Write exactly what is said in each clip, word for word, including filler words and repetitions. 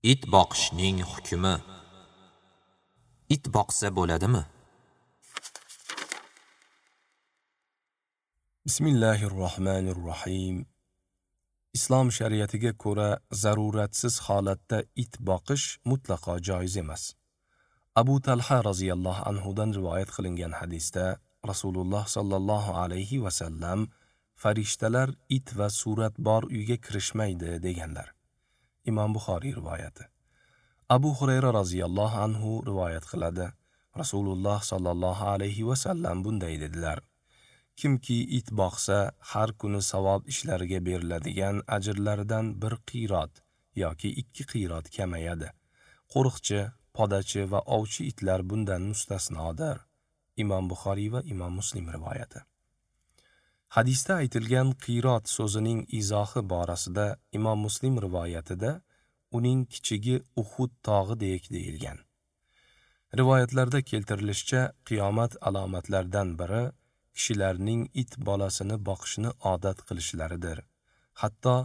It boqishning hukmi. It boqsa bo'ladimi? Bismillahirrohmanirrohim. Islom shariatiga ko'ra zaruratsiz holatda it boqish mutlaqo joiz emas. Abu Talha roziyallohu anhu dan rivoyat qilingan hadisda Rasululloh sallallohu alayhi va sallam farishtalar it va surat bor uyga kirishmaydi deganlar. Imom Buxoriy rivoyati. Abu Hurayra roziyallohu anhu rivoyat qiladi. Rasululloh sallallohu alayhi va sallam bunday dedilar: Kimki it boqsa, har kuni savob ishlariga beriladigan ajrlaridan bir qiyrat yoki ikki qiyrat kamayadi. Qo'riqchi, podachi va ovchi itlar bundan mustasnodir. Imom Buxoriy va Imom Muslim rivoyati. Hadisda aytilgan qiyrat so'zining izohi borasida Imom Muslim rivoyatida uning kichigi Uhud tog'idek deyilgan. Rivoyatlarda keltirilishicha, qiyomat alomatlaridan biri kishilarning it bolasini boqishni odat qilishlaridir. Hatto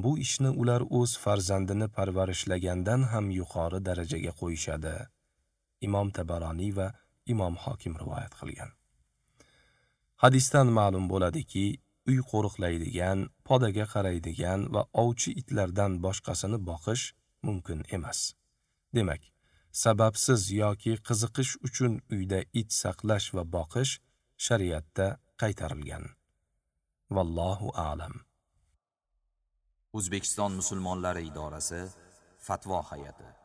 bu ishni ular o'z farzandini parvarishlagandan ham yuqori darajaga qo'yishadi. Imom Tabaroniy va Imom Hokim rivoyat qilgan. Hadisdan ma'lum bo'ladiki, uy qo'riqlaydigan, podaga qaraydigan va ovchi itlardan boshqasini boqish mumkin emas. Demak, sababsiz yoki qiziqish uchun uyda it saqlash va boqish shariatda qaytarilgan. Vallohu a'lam. O'zbekiston musulmonlari idorasi Fatvo hay'ati.